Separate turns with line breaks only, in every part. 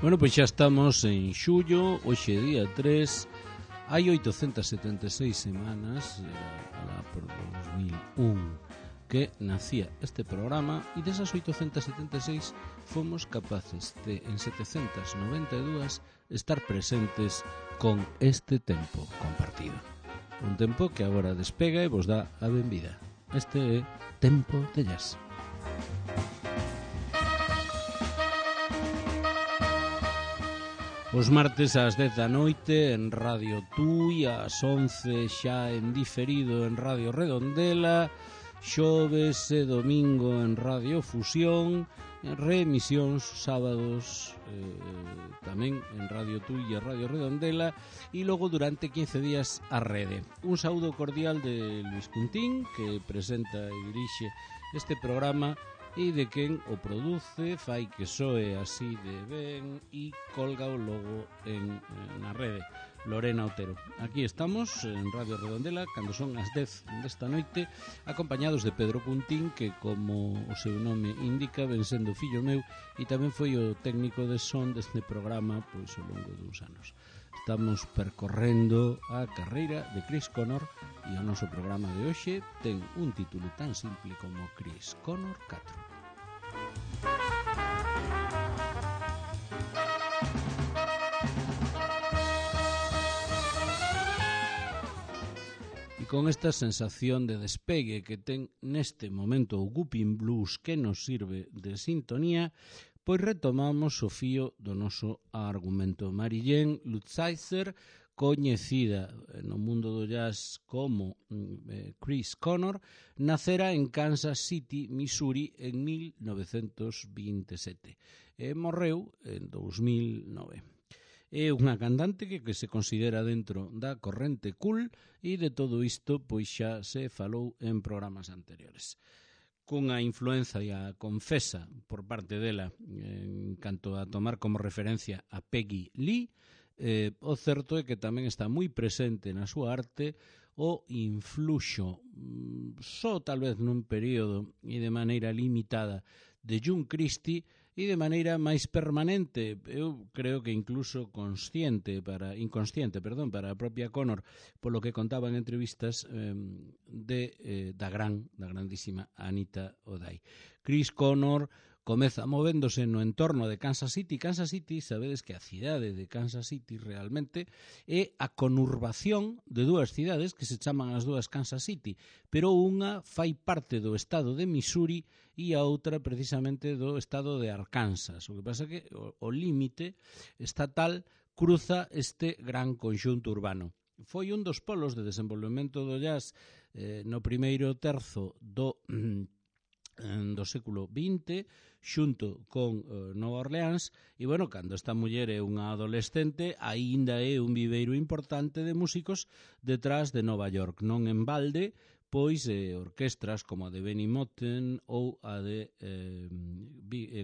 Bueno, pois xa estamos en xullo, hoxe día 3. Hai 876 semanas, alá por 2001, que nacía este programa, e desas 876 fomos capaces de, en 792, estar presentes con este tempo compartido. Un tempo que agora despega e vos dá a benvida. Este é Tempo de Jazz. Os martes ás 10 da noite en Radio Tui, ás 11 xa en diferido en Radio Redondela, xoves e domingo en Radio Fusión, en reemisións sábados tamén en Radio Tui e Radio Redondela, e logo durante 15 días a rede. Un saúdo cordial de Luis Cuntín, que presenta e dirixe este programa, e de quen o produce, fai que soe así de ben e colga o logo na rede, Lorena Otero. Aquí estamos en Radio Redondela cando son as 10 desta noite, acompañados de Pedro Cuntín, que como o seu nome indica ven sendo fillo meu e tamén foi o técnico de son deste programa pois ao longo dos anos. Estamos percorrendo a carreira de Chris Conor e o noso programa de hoxe ten un título tan simple como Chris Conor 4. E con esta sensación de despegue que ten neste momento o Whooping Blues, que nos sirve de sintonía, pois retomamos o fío do noso argumento. Marilyn Lutzheiser, coñecida no mundo do jazz como Chris Conor, nacera en Kansas City, Missouri, en 1927 e morreu en 2009. É unha cantante que se considera dentro da corrente cool, e de todo isto pois xa se falou en programas anteriores. Cunha influencia confesa por parte dela en canto a tomar como referencia a Peggy Lee, o certo é que tamén está moi presente na súa arte o influxo, só tal vez nun período e de maneira limitada, de June Christy, e de maneira máis permanente, eu creo que incluso inconsciente para a propia Conor, polo que contaba en entrevistas da grandísima Anita O'Day. Chris Conor comeza movéndose no entorno de Kansas City. Kansas City, sabedes que a cidade de Kansas City realmente é a conurbación de dúas cidades que se chaman as dúas Kansas City, pero unha fai parte do estado de Missouri e a outra precisamente do estado de Arkansas. O que pasa é que o límite estatal cruza este gran conxunto urbano. Foi un dos polos de desenvolvemento do jazz no primeiro terzo do século XX, xunto con Nova Orleans, e, bueno, cando esta muller é unha adolescente, aínda é un viveiro importante de músicos detrás de Nova York. Non en balde, pois orquestras como a de Benny Moten ou a de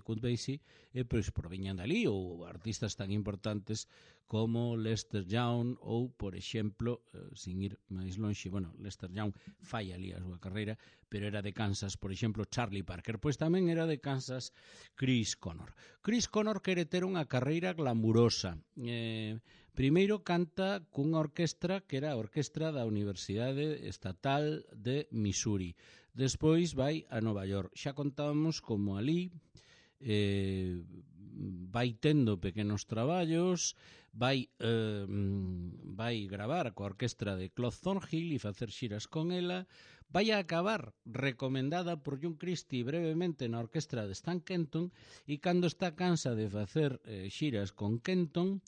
Count Basie pois proviñan dali, ou artistas tan importantes como Lester Young ou, por exemplo, sin ir máis lonxe, bueno, Lester Young fai ali a súa carreira, pero era de Kansas, por exemplo, Charlie Parker, pois tamén era de Kansas Chris Conor. Chris Conor quere ter unha carreira glamurosa. Primeiro canta cunha orquestra que era a orquestra da Universidade Estatal de Missouri. Despois vai a Nova York. Xa contábamos como ali vai tendo pequenos traballos, vai gravar coa orquestra de Claude Thornhill e facer xiras con ela, vai a acabar recomendada por June Christy brevemente na orquestra de Stan Kenton, e cando está cansa de facer xiras con Kenton,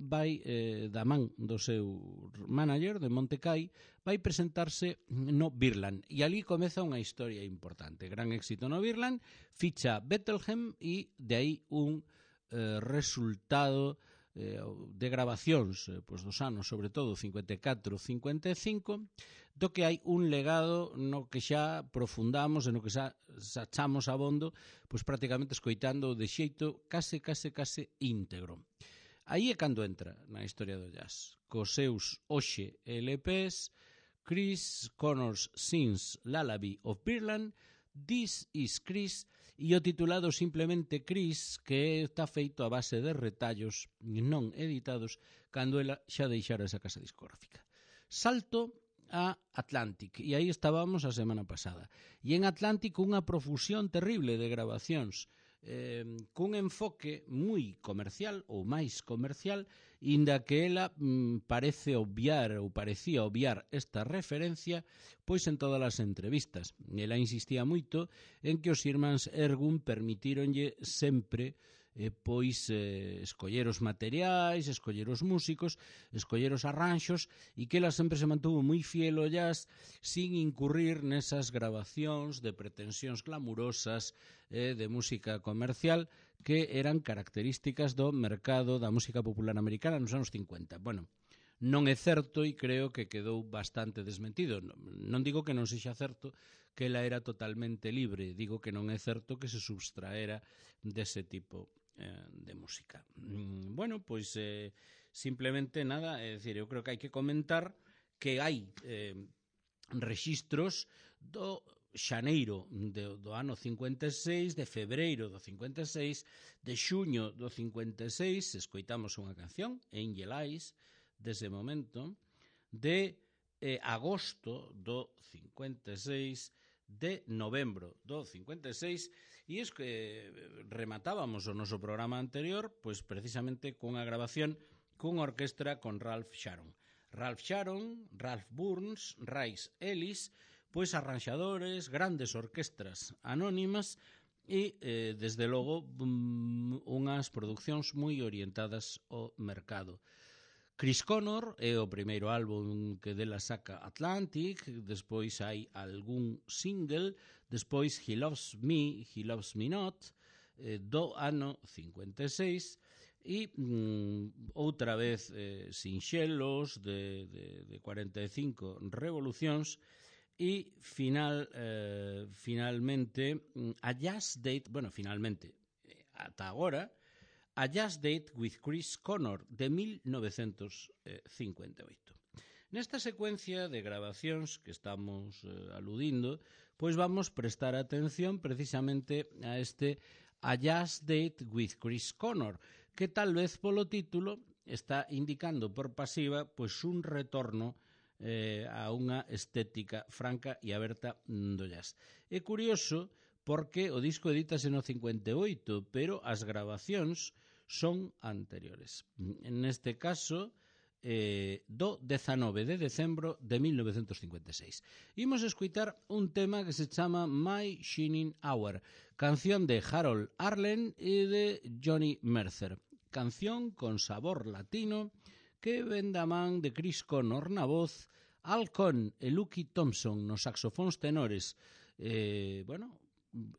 vai da man do seu manager de Montekay, vai presentarse no Birland, e ali comeza unha historia importante. Gran éxito no Birland, ficha Bethlehem, e de aí un resultado de grabacións dos anos, sobre todo 54-55, do que hai un legado no que xa profundamos e no que xa chamos abondo, pois prácticamente escoitando de xeito case íntegro. Aí é cando entra na historia do jazz, cos seus LPs, Chris Conor's Sings Lullaby of Birland, This is Chris, e o titulado simplemente Chris, que está feito a base de retallos non editados cando ela xa deixara esa casa discográfica. Salto a Atlantic, e aí estábamos a semana pasada. E en Atlantic unha profusión terrible de grabacións, cun enfoque moi comercial ou máis comercial, inda que ela parece obviar ou parecía obviar esta referencia pois en todas as entrevistas. Ela insistía moito en que os irmáns Ergun permitíronlle sempre escoller os materiais, escoller os músicos, escoller os arranxos, e que ela sempre se mantuvo moi fiel ao jazz sin incurrir nesas grabacións de pretensións glamurosas de música comercial que eran características do mercado da música popular americana nos anos 50. Bueno, non é certo e creo que quedou bastante desmentido. Non digo que non sexa certo que ela era totalmente libre, digo que non é certo que se substraera dese tipo de música. Bueno, pois simplemente nada, é dicir, eu creo que hai que comentar que hai rexistros do xaneiro do ano 56, de febreiro do 56, de xuño do 56, escoitamos unha canción, Angel Eyes, dese momento, de agosto do 56, de novembro do 56, e es que rematábamos o noso programa anterior pois precisamente cunha grabación cunha orquestra con Ralph Sharon. Ralph Sharon, Ralph Burns, Rice Ellis, pois arranxadores, grandes orquestras anónimas e, desde logo, unhas producións moi orientadas ao mercado. Chris Connor é o primeiro álbum que dela saca Atlantic, despois hai algún single, despois He Loves Me, He Loves Me Not, do ano 56, e outra vez sinxelos de 45 revolucións, e finalmente a Jazz Date, finalmente, ata agora, A Jazz Date with Chris Connor, de 1958. Nesta secuencia de grabacións que estamos aludindo, pois vamos prestar atención precisamente a este A Jazz Date with Chris Connor, que tal vez polo título está indicando por pasiva pois un retorno a unha estética franca e aberta do jazz. É curioso porque o disco edítase no 58, pero as grabacións son anteriores. Neste caso, do 19 de decembro de 1956. Imos escutar un tema que se chama My Shining Hour, canción de Harold Arlen e de Johnny Mercer. Canción con sabor latino que ven da man de Chris Connor na voz, Al Cohn e Lucky Thompson nos saxofóns tenores,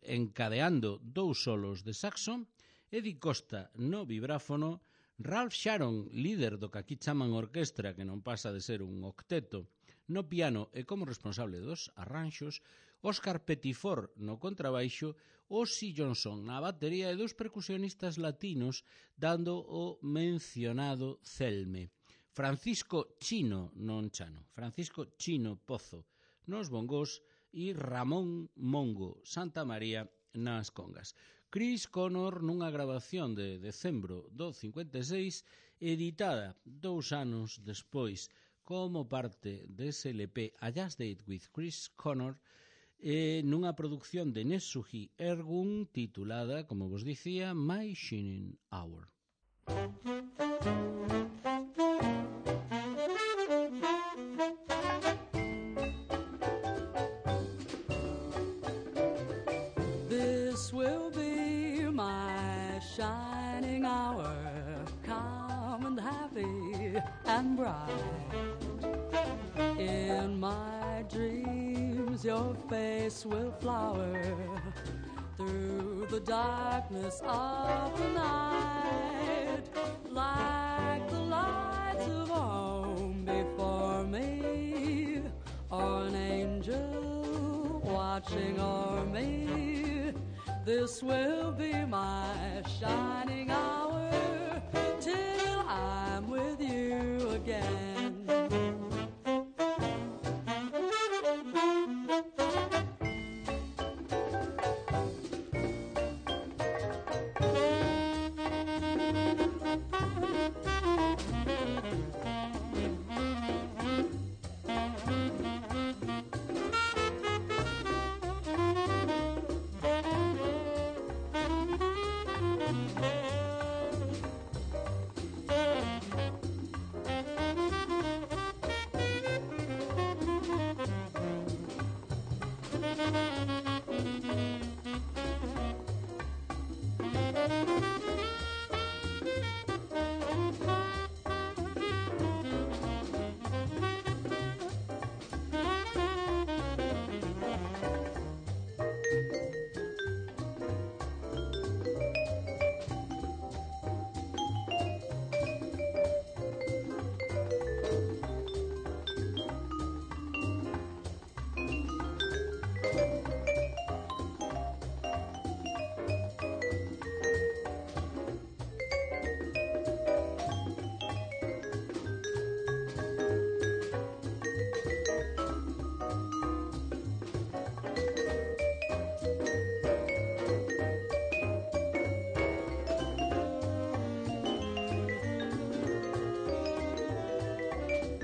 encadeando dous solos de saxo, Eddie Costa no vibráfono, Ralph Sharon, líder do que aquí chaman orquestra, que non pasa de ser un octeto, no piano e como responsable dos arranxos, Oscar Pettiford no contrabaixo, Ozzy Johnson na batería e dos percusionistas latinos dando o mencionado celme. Francisco Chino Pozo nos bongos e Ramón Mongo Santamaría nas congas. Chris Connor nunha grabación de decembro do 56, editada 2 anos despois como parte dese LP A Jazz Date with Chris Connor, nunha produción de Nesuhi Ergun titulada, como vos dicía, My Shining Hour.
This will be my shining hour, calm and happy and bright. In my dreams your face will flower through the darkness of the night, like the lights of home before me, or an angel watching o'er me. This will be my shining hour till I'm with you again.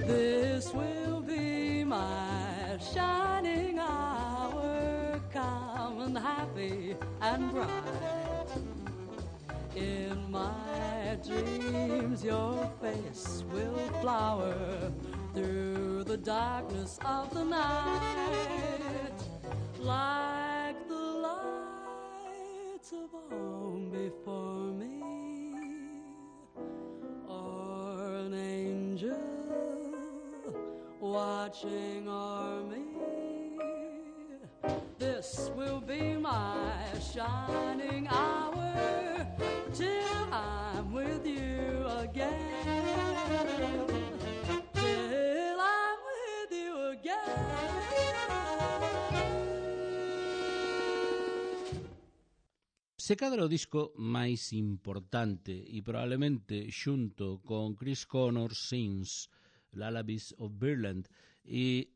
This will be my shining hour, calm and happy and bright. In my dreams your face will flower through the darkness of the night, like the lights of home before me, or an angel watching o'er me. This will be my shining hour till I'm with you again, till I'm with you again.
Se cadra o disco máis importante e probablemente xunto con Chris Connor Sings Lullabies of Birdland e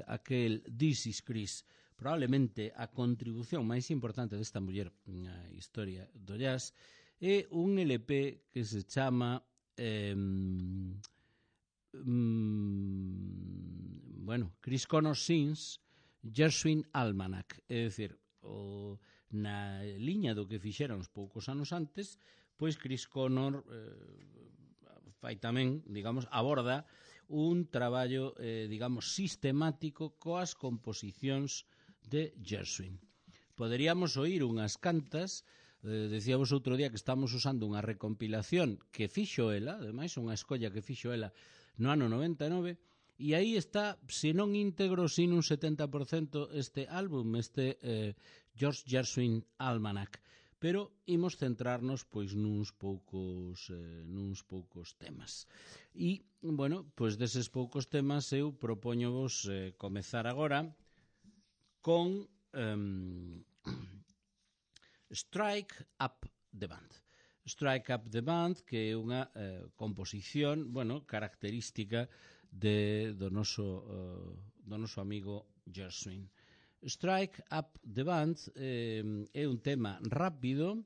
aquel This is Chris, probablemente a contribución máis importante desta muller na historia do jazz, é un LP que se chama Chris Connor Sings Gershwin Almanac, é dicir, na liña do que fixeron uns poucos anos antes, pois Chris Connor fai tamén, digamos, aborda un traballo, digamos, sistemático coas composicións de Gershwin. Poderíamos oír unhas cantas, decíamos outro día que estamos usando unha recompilación que fixo ela, ademais unha escolla que fixo ela no ano 99, e aí está, se non íntegro, sin un 70% este álbum, este George Gershwin Almanac. Pero imos centrarnos pois nuns poucos temas. E, bueno, pois deses poucos temas eu propóñovos comezar agora con Strike Up the Band. Strike Up the Band, que é unha composición, bueno, característica do noso amigo Gershwin. Strike Up the Band é un tema rápido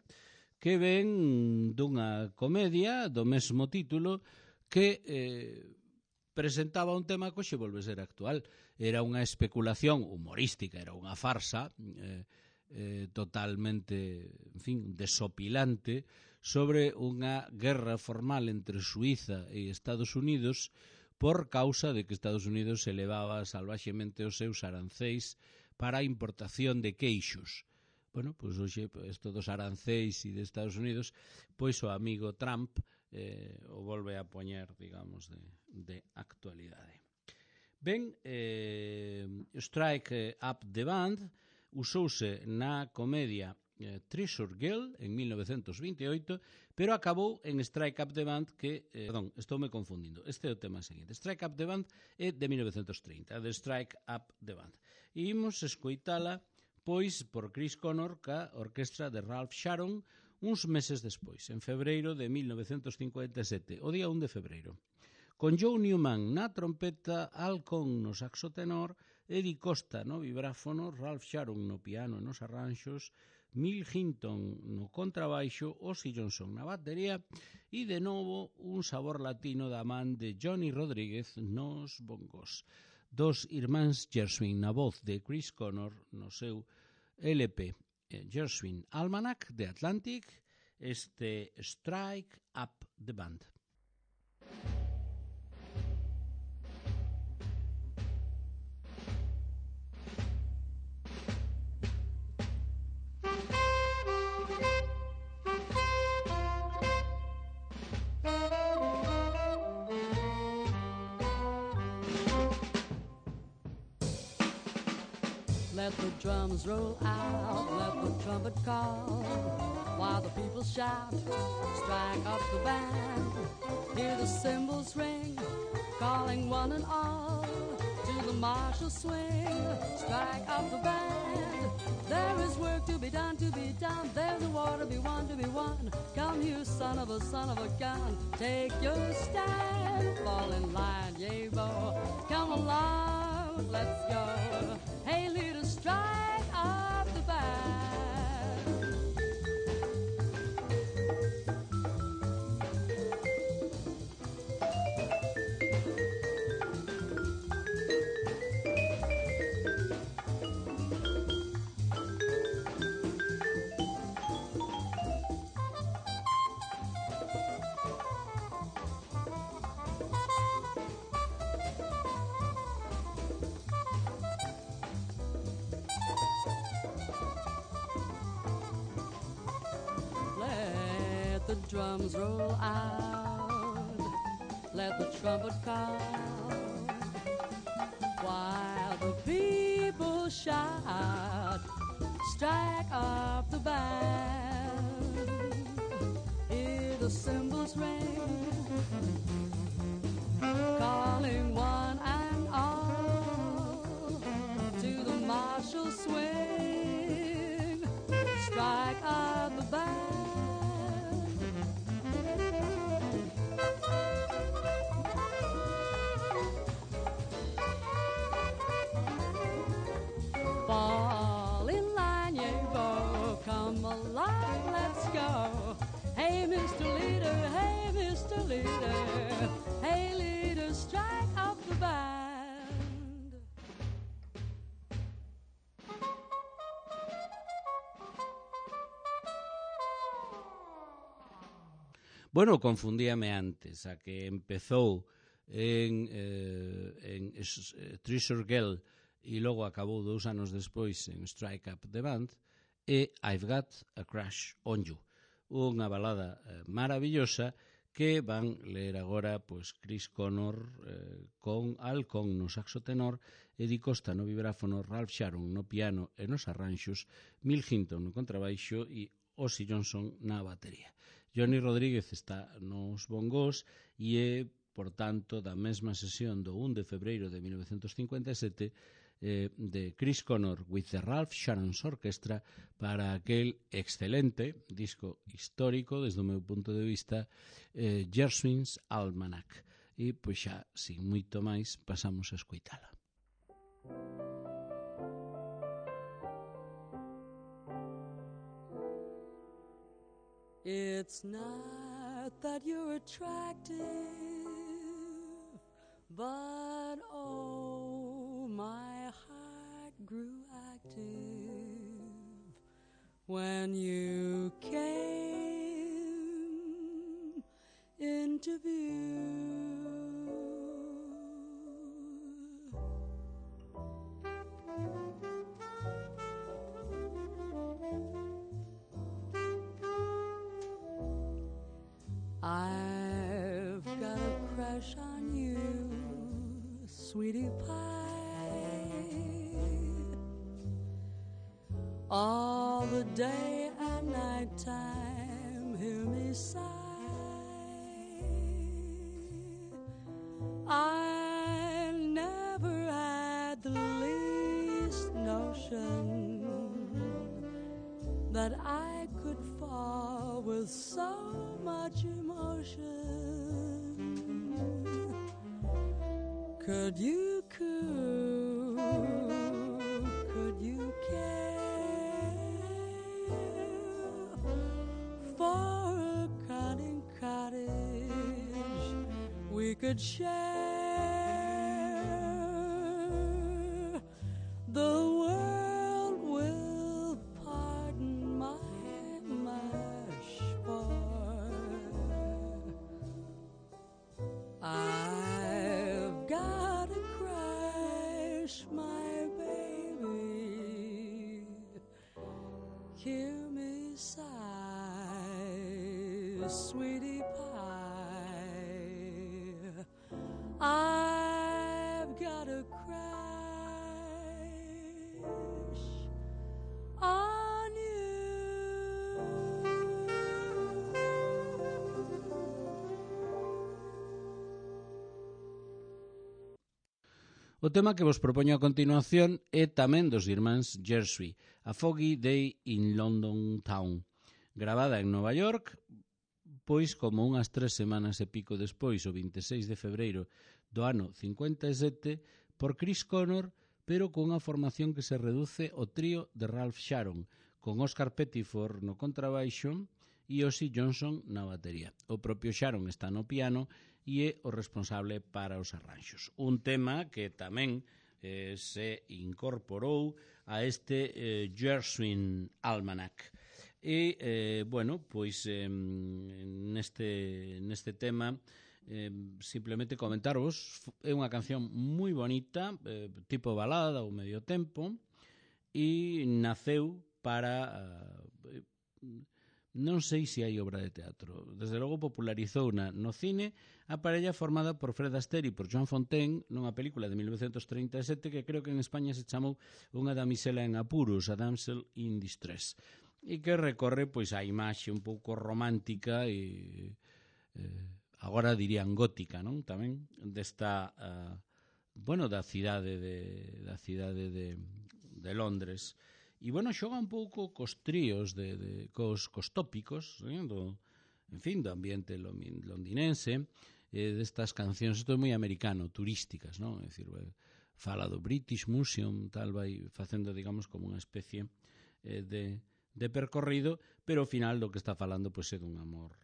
que ven dunha comedia do mesmo título que presentaba un tema que hoxe volve ser actual. Era unha especulación humorística, era unha farsa totalmente, en fin, desopilante sobre unha guerra formal entre Suíza e Estados Unidos por causa de que Estados Unidos elevaba salvaxemente os seus arancéis para a importación de queixos. Bueno, pois hoxe isto dos arancéis e de Estados Unidos, pois o amigo Trump o volve a poñer, digamos, de actualidade. Ben, Strike Up the Band usouse na comedia Treasure Girl en 1928, pero acabou en Strike Up the Band que, estoume confundindo, este é o tema seguinte. Strike Up the Band é de 1930, de Strike Up the Band. E imos escoitala, pois, por Chris Connor ca orquestra de Ralph Sharon uns meses despois, en febreiro de 1957, o día 1 de febreiro. Con Joe Newman na trompeta, Al Cohn no saxo tenor, Eddie Costa no vibráfono, Ralph Sharon no piano e nos arranxos, Mill Hinton no contrabaixo, Ozzy Johnson na batería e, de novo, un sabor latino da man de Johnny Rodríguez nos bongos. Dos irmáns Gershwin na voz de Chris Connor no seu LP Gershwin Almanac de Atlantic este Strike Up the Band.
Let the drums roll out, let the trumpet call, while the people shout, strike up the band. Hear the cymbals ring, calling one and all to the martial swing. Strike up the band. There is work to be done, there's a war to be won. Come you son of a gun, take your stand, fall in line, yea bo, come along, let's go. Hey, leader, strike up the band. Let the drums roll out, let the trumpet call, while the people shout, strike up the band. Hear the cymbals ring, calling one and all to the martial swing. Strike up the band. Fall in line, yea bo, come along, let's go. Hey, Mr. Leader, hey, Mr. Leader, hey, leader, strike up the band.
Bueno, confundíame antes, a que empezou en Treasure Girl e logo acabou 2 anos despois en Strike Up the Band, e I've Got a Crush on You, unha balada maravillosa que van ler agora pois Chris Connor con Al Con no saxo tenor, Eddie Costa no vibráfono, Ralph Sharon no piano e nos arranxos, Mill Hinton no contrabaixo e Ozzy Johnson na batería. Johnny Rodríguez está nos bongos e é, por tanto, da mesma sesión do 1 de febreiro de 1957 de Chris Connor with the Ralph Sharon's Orchestra para aquel excelente disco histórico, desde o meu punto de vista, Gershwin's Almanac. E, pois xa, sin moito máis, pasamos a escoitala.
It's not that you're attractive, but oh, my heart grew active when you came into view. I've got a crush on you, sweetie pie, all the day and night time, hear me sigh. I never had the least notion that I could fall with so much emotion. Could you coo? Could you care for a cunning cottage we could share? The world will pardon my mush, for hear me sigh, sweetie pie, I've got a crash on you.
O tema que vos propoño a continuación é tamén dos irmáns Gershwin, A Foggy Day in London Town, gravada en Nova York, pois como unhas 3 semanas e pico despois, o 26 de febreiro do ano 57, por Chris Connor, pero cunha formación que se reduce ao trío de Ralph Sharon, con Oscar Pettiford no contrabaixo e Ozzy Johnson na batería. O propio Sharon está no piano e é o responsable para os arranxos. Un tema que tamén se incorporou a este Gershwin Almanac. E, bueno, pois neste tema simplemente comentarvos, é unha canción moi bonita, tipo balada ou medio tempo, e naceu para... non sei se hai obra de teatro. Desde logo popularizouna no cine a parella formada por Fred Astaire e por Joan Fontaine nunha película de 1937 que creo que en España se chamou Unha damisela en apuros, A Damsel in Distress, e que recorre pois a imaxe un pouco romántica e agora dirían gótica, non? Tamén desta bueno, da cidade de Londres. E, bueno, xoga un pouco cos tríos, cos tópicos, do ambiente londinense, destas cancións, isto é moi americano, turísticas, non? É dicir, fala do British Museum, tal, vai facendo, digamos, como unha especie de percorrido, pero ao final do que está falando pois é dun amor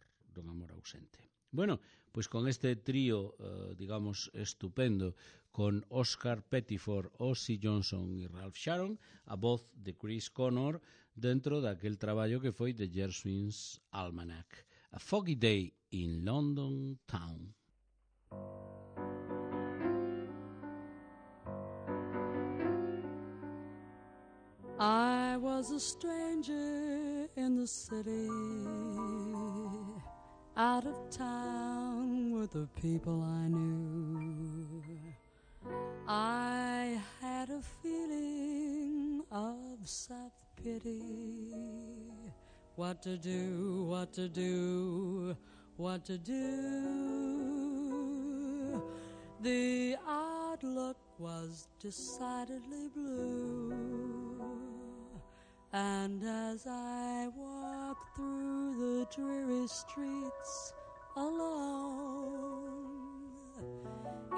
ausente. Bueno, pois con este trío, digamos, estupendo, con Oscar Pettiford, Ozzy Johnson e Ralph Sharon, a voz de Chris Connor, dentro daquel traballo que foi The Gershwin's Almanac, A Foggy Day in London Town.
I was a stranger in the city, out of town with the people I knew. I had a feeling of self-pity. What to do, what to do, what to do. The outlook was decidedly blue. And as I walked through the dreary streets alone,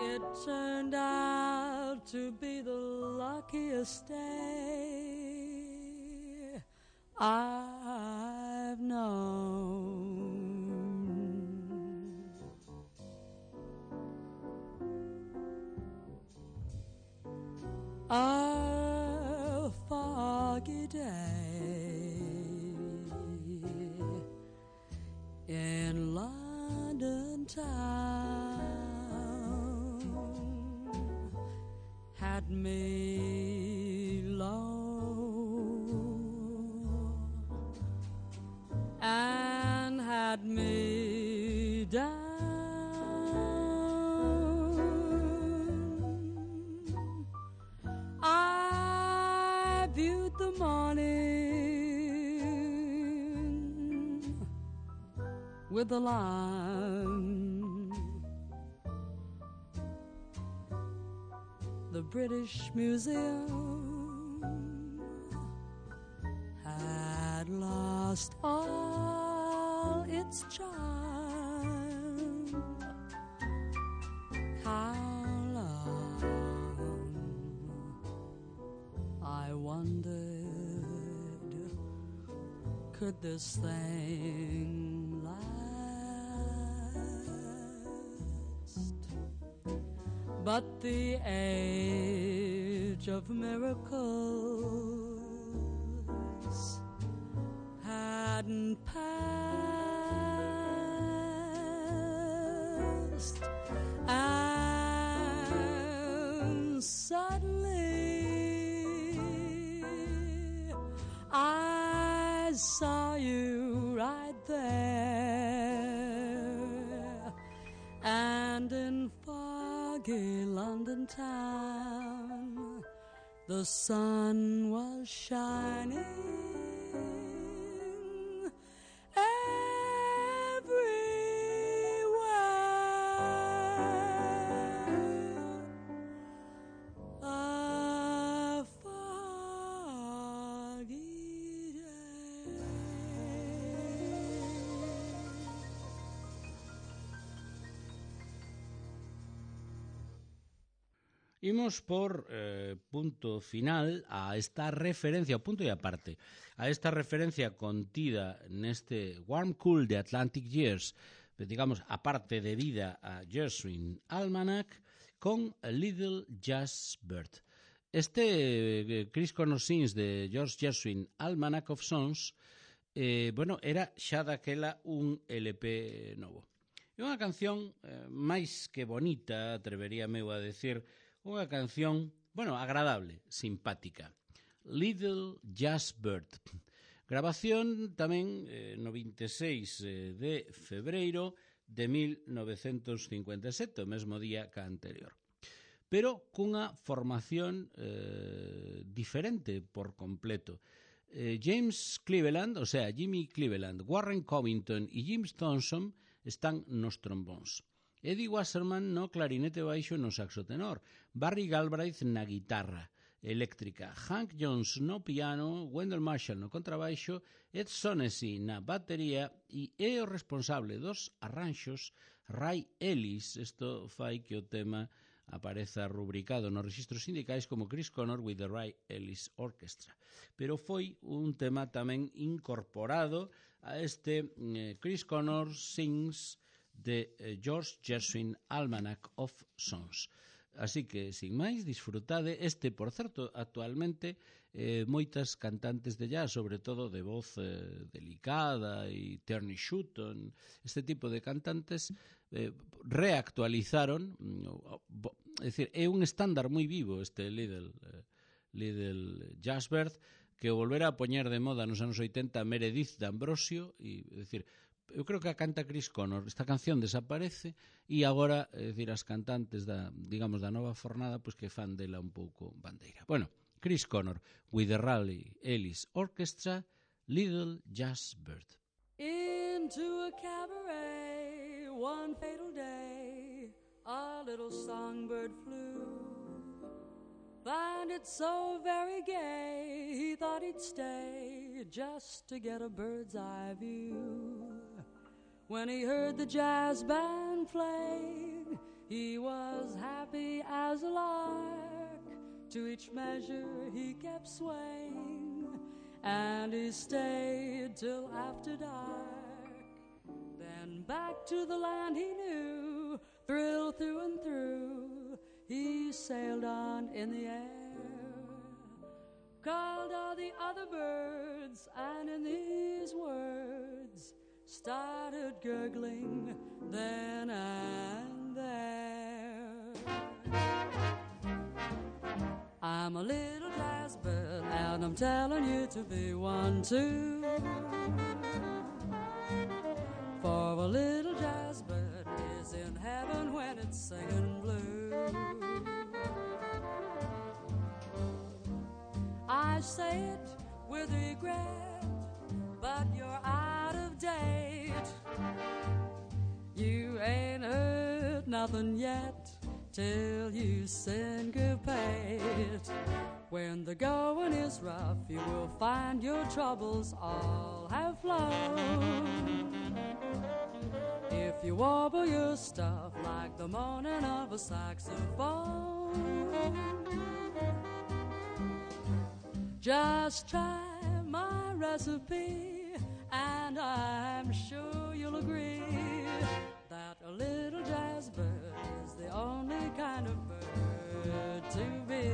it turned out to be the luckiest day I've known. A foggy day in London town had me low and had me down. I viewed the morning with alarm. The British Museum had lost all its charm. How long, I wondered, could this thing last? But the age of miracles hadn't passed, and suddenly I saw you right there, and in foggy London town the sun was shining
Imos por punto final a esta referencia, o punto e aparte, a esta referencia contida neste Warm Cool de Atlantic Years, digamos, aparte de vida a Gershwin Almanac, con A Little Jazz Bird. Este Chris Connor Sings de George Gershwin Almanac of Songs, bueno, era xa daquela un LP novo. É unha canción máis que bonita, atreveríame a decir, unha canción, bueno, agradable, simpática. Little Jazz Bird. Grabación tamén no 26 de febreiro de 1957, o mesmo día que a anterior. Pero cunha formación diferente por completo. James Cleveland, o sea, Jimmy Cleveland, Warren Covington e Jim Thompson están nos trombóns. Eddie Wasserman no clarinete baixo e no saxo tenor, Barry Galbraith na guitarra eléctrica, Hank Jones no piano, Wendell Marshall no contrabaixo, Ed Sonesi na batería e é o responsable dos arranxos Ray Ellis. Isto fai que o tema apareza rubricado nos registros sindicais como Chris Connor with the Ray Ellis Orchestra. Pero foi un tema tamén incorporado a este Chris Connor Sings de George Gershwin Almanac of Songs. Así que, sin máis, disfrutade este, por certo, actualmente moitas cantantes de jazz, sobre todo de voz delicada e Turney Schuton, este tipo de cantantes reactualizaron, é dicir, é un estándar moi vivo este Little Jazz Bird, que o volvera a poñer de moda nos anos 80 Meredith D'Ambrosio, e, é dicir, eu creo que a canta Chris Connor. Esta canción desaparece e agora, é dicir, as cantantes da, digamos, da nova fornada, pois que fan dela un pouco bandeira. Bueno, Chris Connor with the Ray Ellis Orchestra, Little Jazz Bird.
Into a cabaret one fatal day a little songbird flew. Found it so very gay he thought he'd stay just to get a bird's eye view. When he heard the jazz band playing, he was happy as a lark. To each measure he kept swaying, and he stayed till after dark. Then back to the land he knew, thrilled through and through, he sailed on in the air, called all the other birds, and in these words started gurgling then and there. I'm a little jazz bird, and I'm telling you to be one too. For a little jazz bird is in heaven when it's singing blue. I say it with regret, but you're out of date. You ain't heard nothing yet till you syncopate. When the going is rough, you will find your troubles all have flown. If you warble your stuff like the moaning of a saxophone, just try my recipe, and I'm sure you'll agree that a little jazz bird is the only kind of bird to be.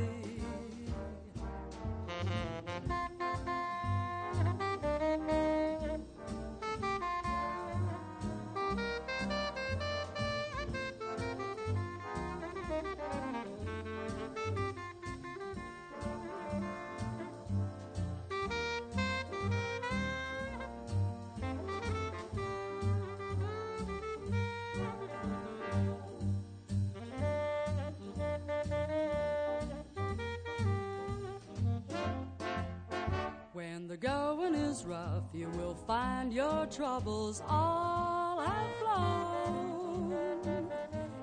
gets rough, you will find your troubles all have flown.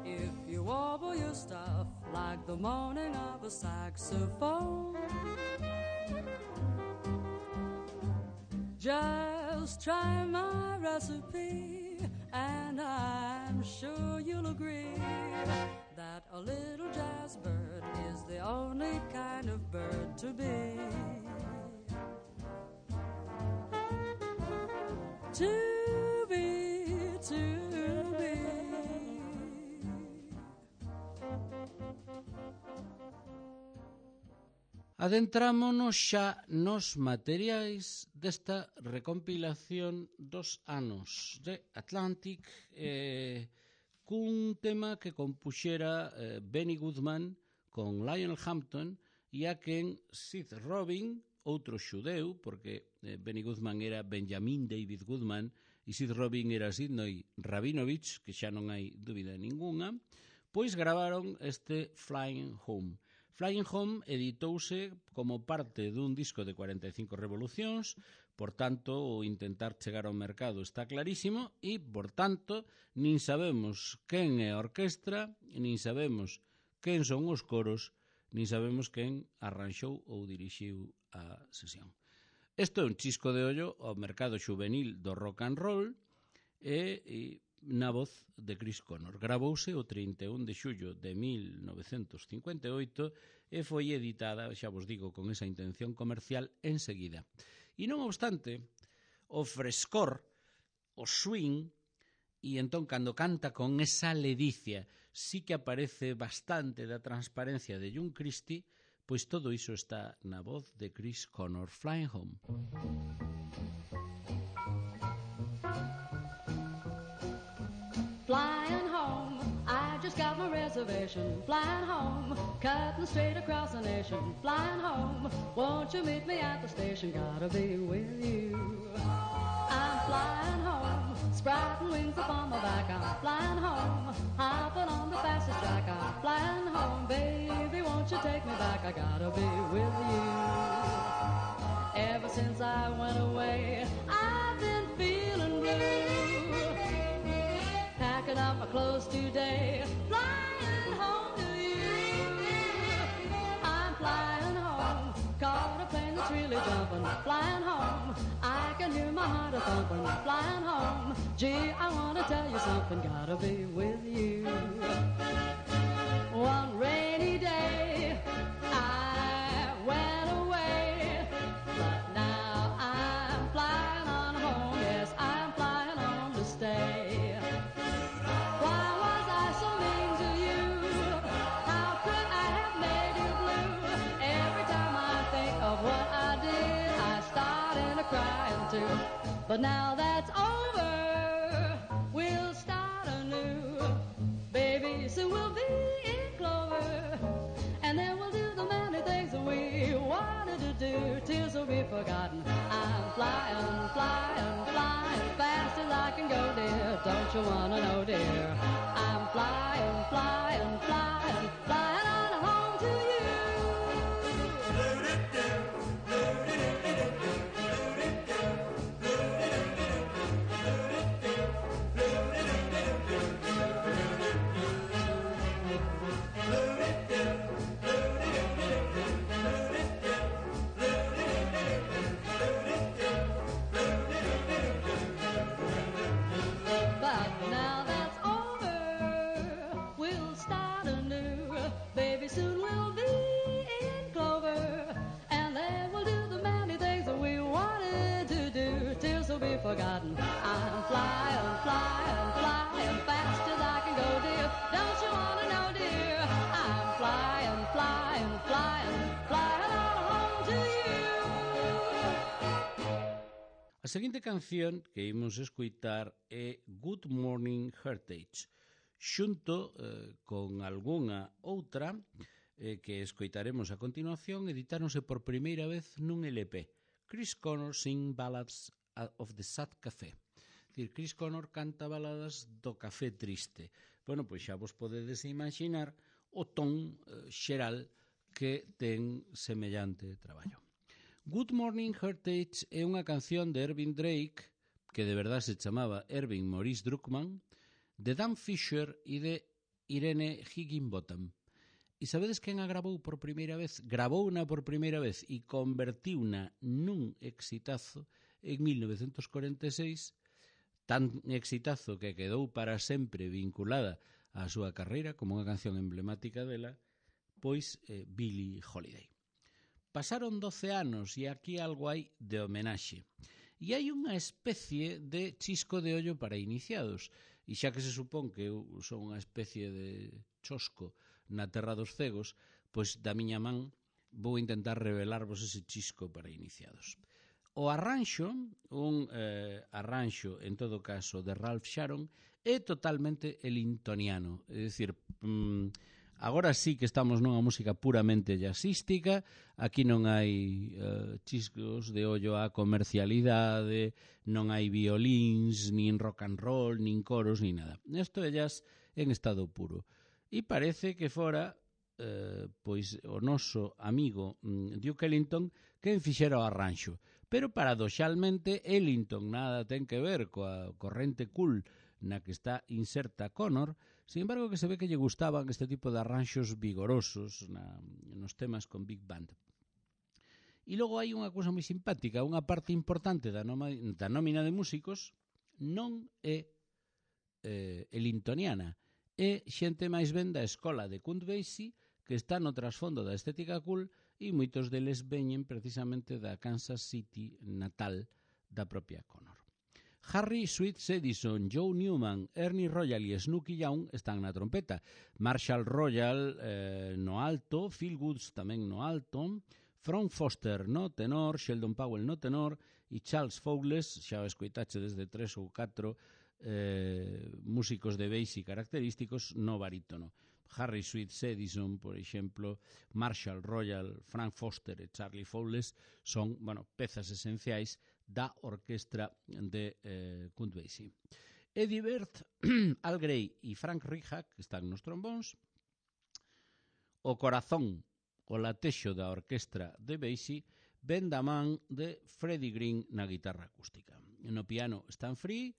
If you warble your stuff like the moaning of a saxophone, just try my recipe, and I'm sure you'll agree that a little jazz bird is the only kind of bird to be. To be, to be.
Adentrámonos xa nos materiais desta recompilación dos anos de Atlantic, cun tema que compuxera Benny Goodman con Lionel Hampton e a quen Sid Robin, outro xudeu, porque Benny Goodman era Benjamin David Goodman e Sid Robin era Sidney Rabinovich, que xa non hai dúbida ningunha, pois gravaron este Flying Home. Flying Home editouse como parte dun disco de 45 revolucións, por tanto, o intentar chegar ao mercado está clarísimo e, por tanto, nin sabemos quen é a orquestra, nin sabemos quen son os coros, nin sabemos quen arranxou ou dirixiu a sesión. Isto é un chisco de ollo ao mercado juvenil do rock and roll e na voz de Chris Connor. Gravouse o 31 de xullo de 1958 e foi editada, xa vos digo, con esa intención comercial enseguida. E non obstante, o frescor, o swing, e entón cando canta con esa ledicia, sí que aparece bastante da transparencia de John Christie, pois todo iso está na voz de Chris Connor. Flying Home.
Flying home, I just got my reservation. Flying home, cutting straight across the nation. Flying home, won't you meet me at the station? Gotta be with you. I'm flying home, sprouting wings upon my back. I'm flying home, hopping on the fastest track. I'm flying home, baby, won't you take me back? I gotta be with you. Ever since I went away, I've been feeling blue. Packing up my clothes today, flying home to you. I'm flying home, caught a plane that's really jumping. Flying home, I can hear my heart a-thumping. Flying home, gee, I wanna tell you something. Gotta be with you. One rainy day, I went away, but now I'm flying on home. Yes, I'm flying home to stay. Why was I so mean to you? How could I have made you blue? Every time I think of what I did, I start into crying too. But now that's over, we'll start anew. Baby, soon we'll be in clover, and then we'll do the many things that we wanted to do. Tears will be forgotten. I'm flying, flying, flying fast as I can go, dear. Don't you wanna know, dear? I'm flying, flying, flying, flying on home to you. But now that's over, we'll start anew. Baby, soon we'll be in clover, and then we'll do the many things that we wanted to do. Tears will be forgotten. I'm flying, flying, flying fast as I can go, dear. Don't you wanna know, dear? I'm flying, flying, flying, flying on home to you.
A seguinte canción que imos escoitar é Good Morning Heritage, xunto con algunha outra que escoitaremos a continuación, editáronse por primeira vez nun LP. Chris Connor Sing Ballads of the Sad Café. Dicir, Chris Connor canta baladas do café triste. Bueno, pois xa vos podedes imaginar o ton xeral que ten semellante traballo. Good Morning Heritage é unha canción de Ervin Drake, que de verdade se chamaba Ervin Maurice Druckmann, de Dan Fisher e de Irene Higginbotham. E sabedes quen a grabou por primeira vez? Grabouna por primeira vez e convertiuna nun exitazo en 1946, tan exitazo que quedou para sempre vinculada á súa carreira como unha canción emblemática dela, pois Billie Holiday. Pasaron 12 anos e aquí algo hai de homenaxe. E hai unha especie de chisco de ollo para iniciados. E xa que se supón que eu son unha especie de chosco na terra dos cegos, pois da miña man vou intentar revelarvos ese chisco para iniciados. O arranxo, un arranxo en todo caso de Ralph Sharon, é totalmente elintoniano, é dicir, agora sí que estamos nunha música puramente jazzística, aquí non hai chiscos de ollo á comercialidade, non hai violíns, nin rock and roll, nin coros, nin nada. Isto é jazz en estado puro. E parece que fora pois o noso amigo Duke Ellington quen fixera o arranxo. Pero paradoxalmente Ellington nada ten que ver coa corrente cool na que está inserta Connor, sin embargo que se ve que lle gustaban este tipo de arranxos vigorosos nos temas con Big Band. E logo hai unha cousa moi simpática, unha parte importante da nómina de músicos non é elintoniana, é xente máis ben da escola de Count Basie que está no trasfondo da estética cool e moitos deles veñen precisamente da Kansas City natal da propia Connor. Harry Sweets Edison, Joe Newman, Ernie Royal e Snooky Young están na trompeta. Marshall Royal no alto, Phil Woods tamén no alto, Frank Foster no tenor, Sheldon Powell no tenor e Charles Fowles, xa o escoitache desde 3 ou 4 músicos de bass característicos no barítono. Harry Sweets Edison, por exemplo, Marshall Royal, Frank Foster e Charlie Fowles son, pezas esenciais da orquestra de Count Basie. Eddie Bird, Al Gray e Frank Rihak están nos trombóns. O corazón, o latexo da orquestra de Basie, ven da man de Freddie Green na guitarra acústica. No piano Stan Free,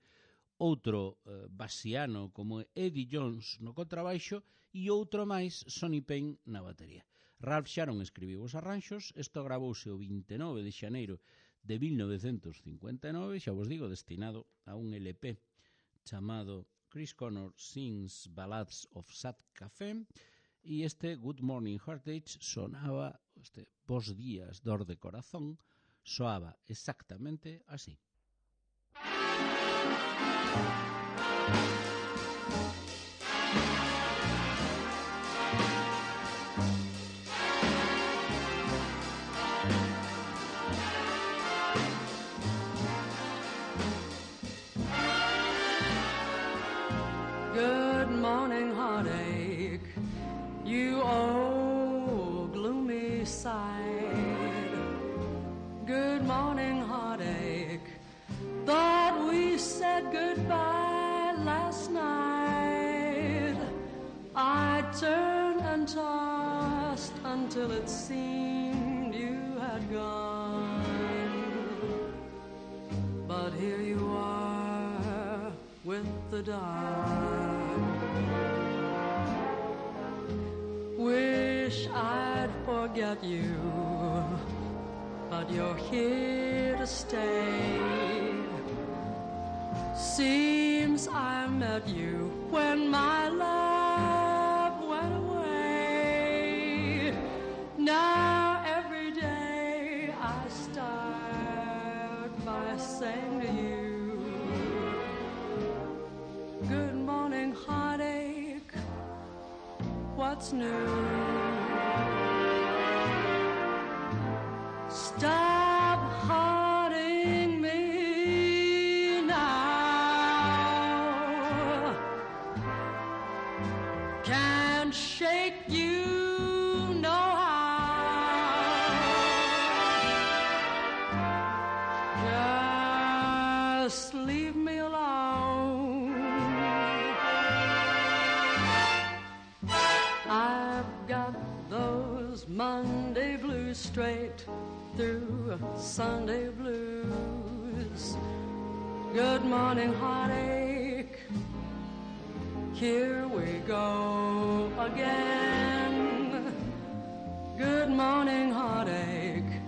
outro basiano como Eddie Jones no contrabaixo e outro máis, Sonny Payne, na batería. Ralph Sharon escribiu os arranxos, isto gravouse o 29 de xaneiro de 1959, xa vos digo, destinado a un LP chamado Chris Connor Sings Ballads of Sad Café, e este Good Morning Heartache sonaba, este Bos días, dor de corazón, soaba exactamente así.
Good morning, heartache, you old gloomy side. Good morning, heartache, thought we said goodbye last night. I turned and tossed until it seemed you had gone. But here you are with the dark. Wish I'd forget you, but you're here to stay. Seems I met you when my love went away. Now every day I start by saying to you, good morning, heartache, what's new? Stop haunting me now. Can't shake you no how. Just leave me alone. I've got those Monday blues straight through Sunday blues. Good morning, heartache. Here we go again. Good morning, heartache.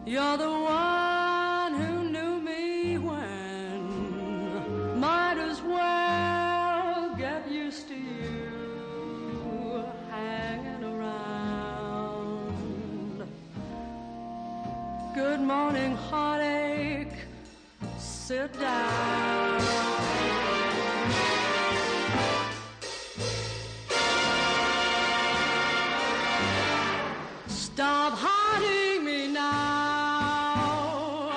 You're the one who knew me when. Might as well get used to you hanging around. Good morning, heartache. Sit down. Stop haunting me now.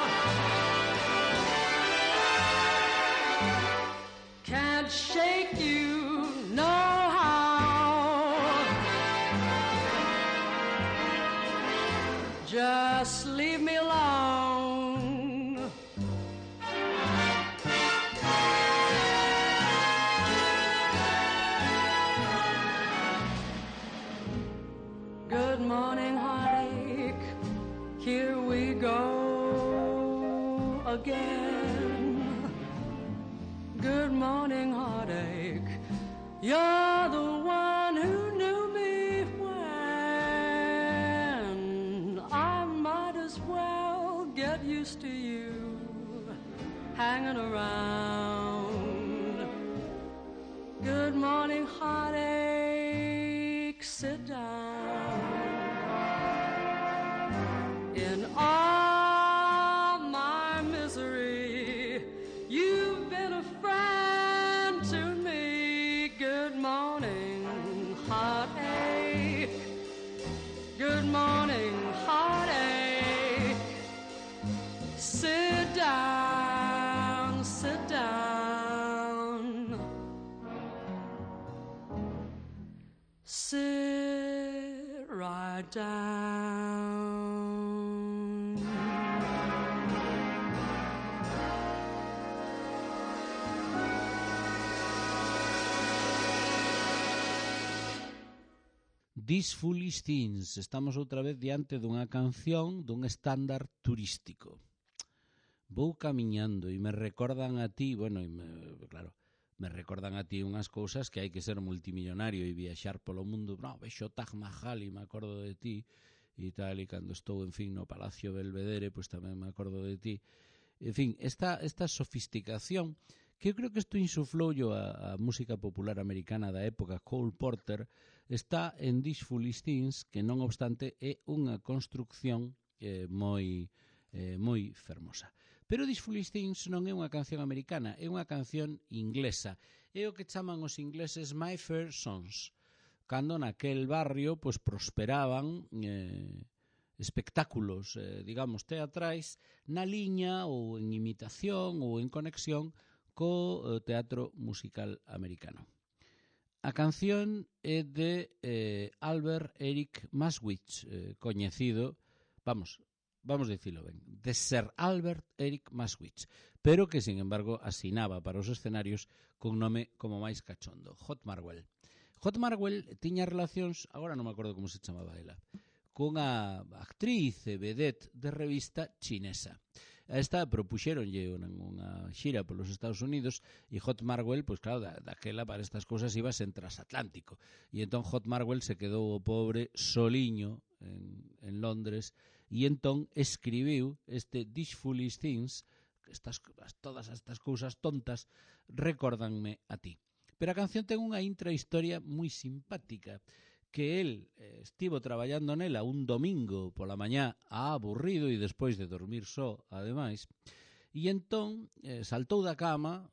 Can't shake you no how. Just leave me alone. Good morning, heartache. Here we go again. Good morning, heartache. You're the one who knew me when. I might as well get used to you hanging around. Good morning, heartache. Sit down. In all my misery, you've been a friend to me. Good morning, heartache. Good morning, heartache. Sit down, sit down. Sit right down.
These Foolish Things. Estamos outra vez diante dunha canción dun estándar turístico. Vou camiñando e me recordan a ti, bueno, claro, me recordan a ti unhas cousas que hai que ser multimillonario e viaxar polo mundo. No, vexo Taj Mahal e me acordo de ti e tal, e cando estou, en fin, no Palacio Belvedere, pois tamén me acordo de ti. En fin, esta sofisticación, que eu creo que isto insufloulle a música popular americana da época, Cole Porter, está en These Foolish Things, que non obstante é unha construcción moi fermosa. Pero These Foolish Things non é unha canción americana, é unha canción inglesa. É o que chaman os ingleses My Fair Sons, cando naquel barrio pois prosperaban espectáculos, digamos, teatrais na liña ou en imitación ou en conexión co teatro musical americano. A canción é de Albert Eric Maswich, coñecido, vamos dicilo ben, de Sir Albert Eric Maswich, pero que, sin embargo, asinaba para os escenarios con nome como máis cachondo, Hot Marwell. Hot Marwell tiña relacións, agora non me acordo como se chamaba ela, cunha actriz e vedette de revista chinesa. A esta propuxéronlle unha xira polos Estados Unidos e Hot Marwell, pois claro, daquela para estas cousas ibas en transatlántico. E entón Hot Marwell se quedou o pobre soliño en Londres e entón escribiu este These Foolish Things, todas estas cousas tontas recórdanme a ti. Pero a canción ten unha intrahistoria moi simpática, que el estivo traballando nela un domingo pola mañá aburrido e despois de dormir só, ademais, e entón saltou da cama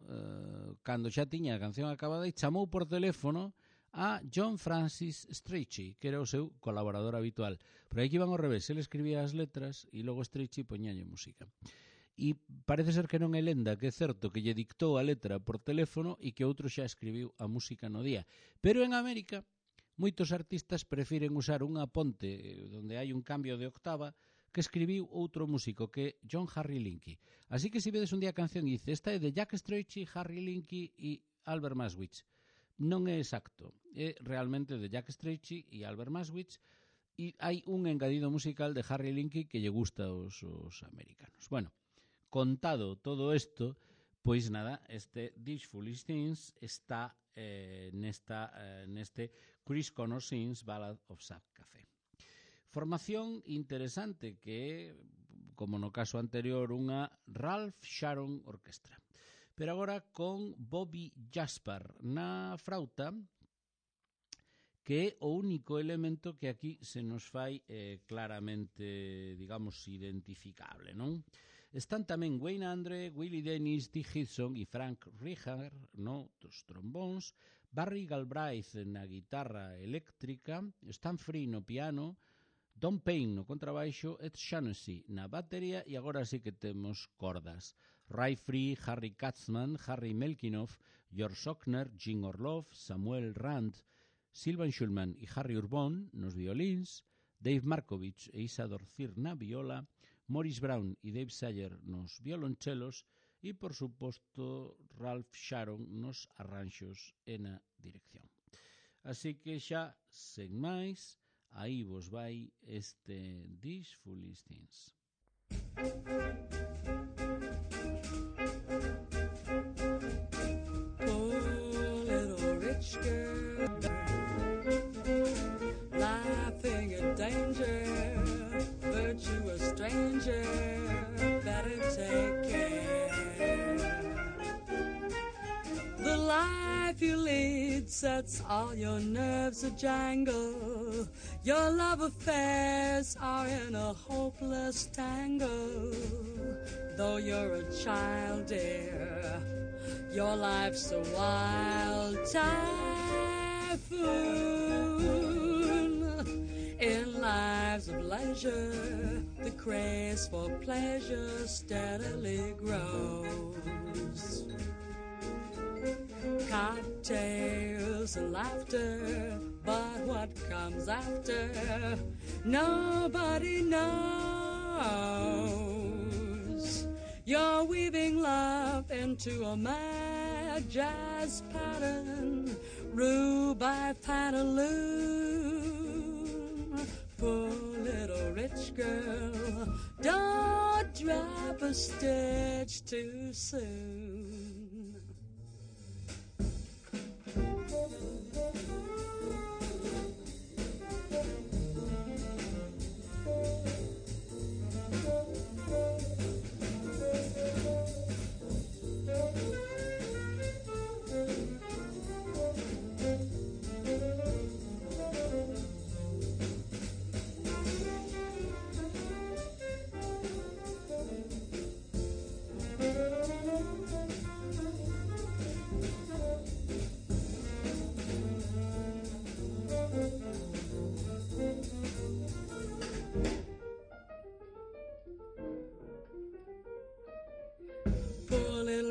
cando xa tiña a canción acabada e chamou por teléfono a John Francis Strachey, que era o seu colaborador habitual. Pero aí que iban ao revés, ele escribía as letras e logo Strachey poñalle música. E parece ser que non é lenda, que é certo que lle dictou a letra por teléfono e que outro xa escribiu a música no día. Pero en América moitos artistas prefiren usar unha ponte onde hai un cambio de octava que escribiu outro músico, que é John Harry Linky. Así que se vedes un día a canción e dice, esta é de Jack Strachey, Harry Linky e Albert Maswich. Non é exacto, é realmente de Jack Strachey e Albert Maswich, E hai un engadido musical de Harry Linky que lle gusta aos americanos. Bueno, contado todo isto, pois nada, este These Foolish Things está neste Chris Connor Sings Ballad of Sad Café. Formación interesante que é, como no caso anterior, unha Ralph Sharon Orquestra. Pero agora con Bobby Jaspar na frauta, que é o único elemento que aquí se nos fai claramente, digamos, identificable, non? Están tamén Wayne Andre, Willie Dennis, Dick Hudson e Frank Rihar, no, dos trombóns, Barry Galbraith na guitarra eléctrica, Stan Free no piano, Don Payne no contrabaixo, Ed Shaughnessy na batería e agora sí que temos cordas. Ray Free, Harry Katzman, Harry Melkinoff, George Sockner, Jim Orloff, Samuel Rand, Sylvan Schulman e Harry Urbon nos violíns, Dave Markovich e Isador Zir na viola, Morris Brown e Dave Sayer nos violonchelos e, por suposto, Ralph Sharon nos arranxos e na dirección. Así que xa, sen máis, aí vos vai este These Foolish Things.
Poor little rich girl, laughing at danger, virtue a stranger, better take care. The life you lead sets all your nerves a-jangle. Your love affairs are in a hopeless tangle. Though you're a child, dear, your life's a wild typhoon. In lives of leisure, the craze for pleasure steadily grows. Cocktails and laughter, but what comes after, nobody knows. You're weaving love into a mad jazz pattern, ruled by pantaloon. Poor little rich girl, don't drop a stitch too soon.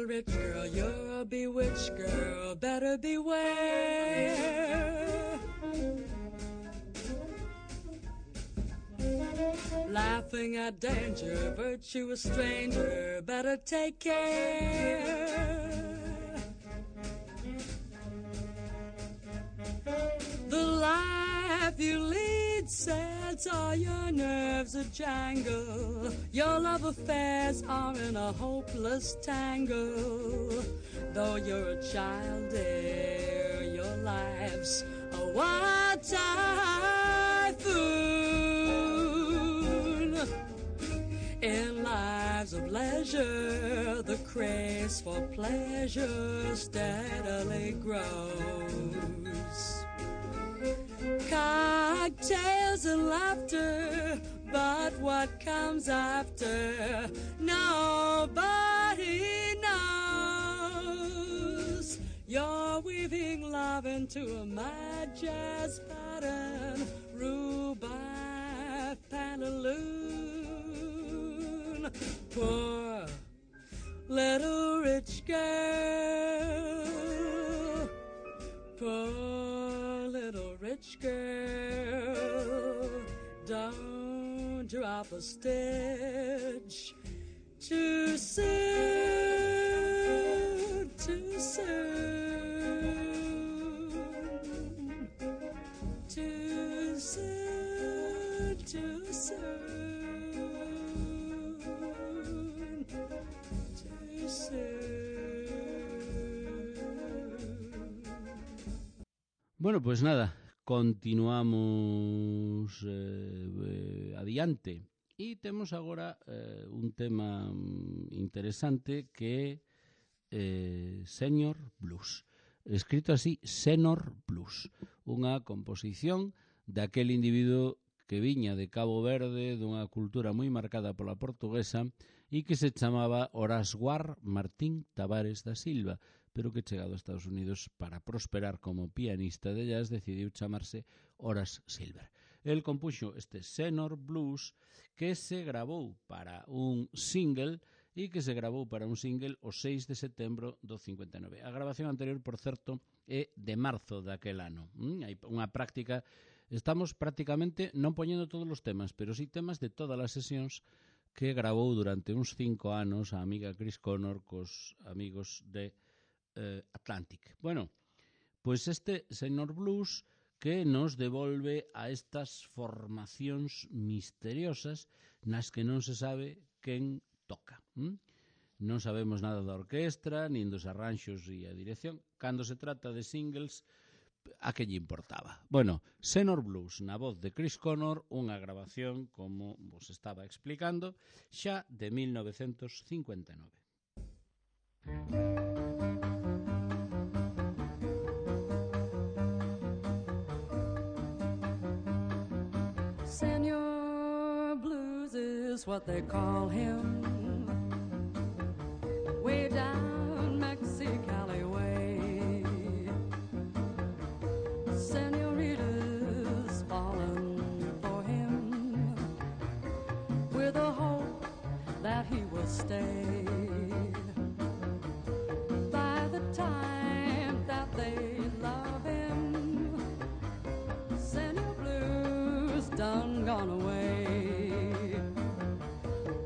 Rich girl, you're a bewitched girl, better beware. Laughing at danger, virtue a stranger, better take care. The life you lead sets all your nerves a-jangle. Your love affairs are in a hopeless tangle. Though you're a child, dear, your life's a wild typhoon. In lives of leisure, the craze for pleasure steadily grows. Cocktails and laughter, but what comes after, nobody knows. You're weaving love into a mad jazz pattern, ruled by pantaloon. Poor little rich girl, poor little rich girl, don't drop a stitch too soon, too soon, too soon. too soon, too soon.
Bueno, pues nada, continuamos adiante. E temos agora un tema interesante que é Senior Blues. Escrito así, Senior Blues. Unha composición daquel individuo que viña de Cabo Verde, dunha cultura moi marcada pola portuguesa, e que se chamaba Orasguar Martín Tavares da Silva, pero que chegado a Estados Unidos para prosperar como pianista de jazz decidiu chamarse Horace Silver. El compuxo este Senior Blues que se grabou para un single e que se grabou para un single o 6 de setembro do 59. A grabación anterior, por certo, é de marzo daquel ano. Hai unha práctica, estamos prácticamente non poñendo todos os temas, pero sí temas de todas as sesións que grabou durante uns 5 anos a amiga Chris Connor cos amigos de Atlantic. Bueno, pois este Senior Blues que nos devolve a estas formacións misteriosas nas que non se sabe quen toca. Non sabemos nada da orquestra, nin dos arranxos e a dirección. Cando se trata de singles, a que lle importaba? Bueno, Senior Blues na voz de Chris Connor, unha grabación, como vos estaba explicando, xa de 1959.
Senior Blues is what they call him, way down Mexicali way. Senoritas falling for him with a hope that he will stay. By the time that they love him, Senior Blues done gone away.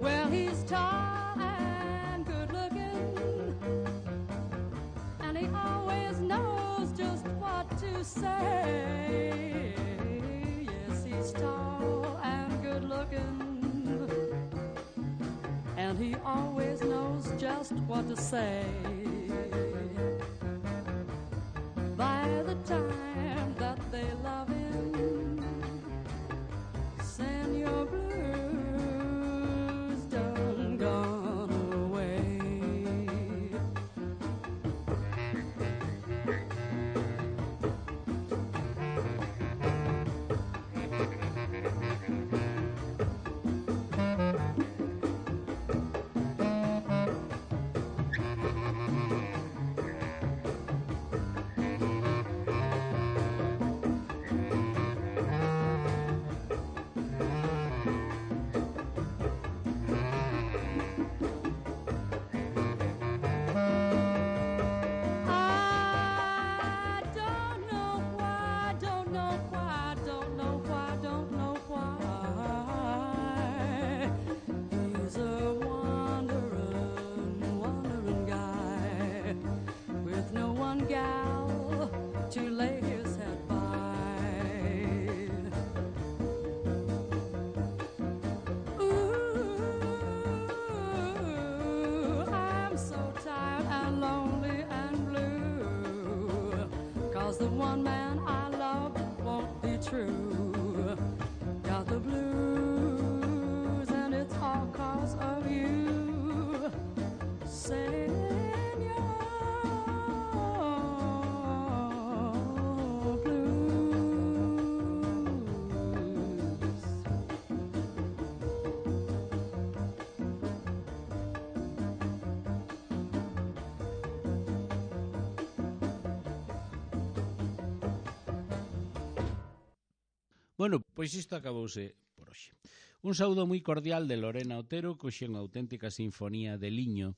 Well, he's tall and good looking, and he always knows just what to say. Yes, he's tall and good looking, and he always knows just what to say. By the time that they love him, Senior Blues done gone away. He's a wandering guy with no one gal to lay his head by. Ooh, I'm so tired and lonely and blue, 'cause the one man I love won't be true. Got the blues and it's all 'cause of you, Senor Blues.
Bueno, pois isto acabouse por hoxe. Un saúdo moi cordial de Lorena Otero, que hoxe é unha auténtica sinfonía de liño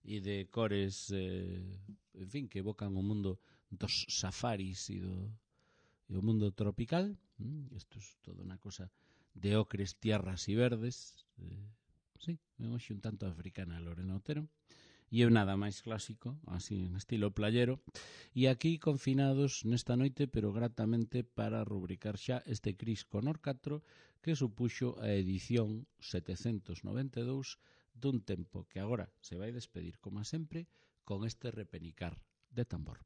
e de cores, en fin, que evocan o mundo dos safaris e o mundo tropical. Isto é toda unha cosa de ocres, tierras e verdes. Sí, hoxe un tanto africana Lorena Otero. e nada máis clásico, así en estilo playero, e aquí confinados nesta noite, pero gratamente para rubricar xa este Cris Conor 4 que supuxo a edición 792 dun tempo que agora se vai despedir, como sempre, con este repenicar de tambor.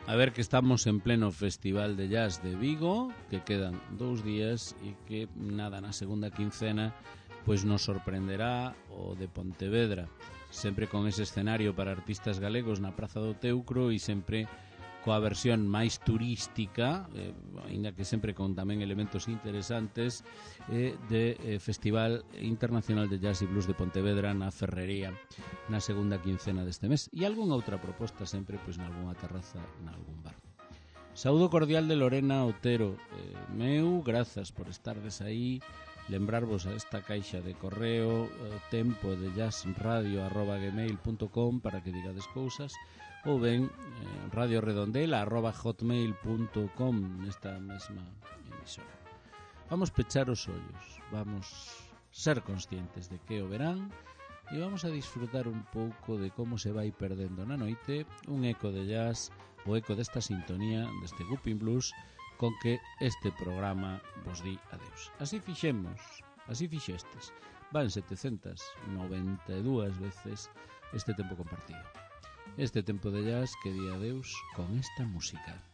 A ver, que estamos en pleno Festival de Jazz de Vigo, que quedan 2 días e que nada na segunda quincena pois nos sorprenderá o de Pontevedra, sempre con ese escenario para artistas galegos na Praza do Teucro e sempre coa versión máis turística, ainda que sempre con tamén elementos interesantes, de Festival Internacional de Jazz e Blues de Pontevedra na Ferrería na segunda quincena deste mes, e algunha outra proposta sempre pois nalgúna terraza, nalgún bar. Saúdo cordial de Lorena Otero, meu, grazas por estardes aí, lembrarvos a esta caixa de correo tempo de jazzradio@gmail.com para que digades cousas, ou ben radioredondela@hotmail.com nesta mesma emisora. Vamos pechar os ollos, vamos ser conscientes de que o verán e vamos a disfrutar un pouco de como se vai perdendo na noite un eco de jazz, o eco desta sintonía, deste Whooping Blues, con que este programa vos di adeus. Así fixemos, así fixestes. Van 792 veces este tempo compartido. Este tempo de jazz que di adeus con esta música.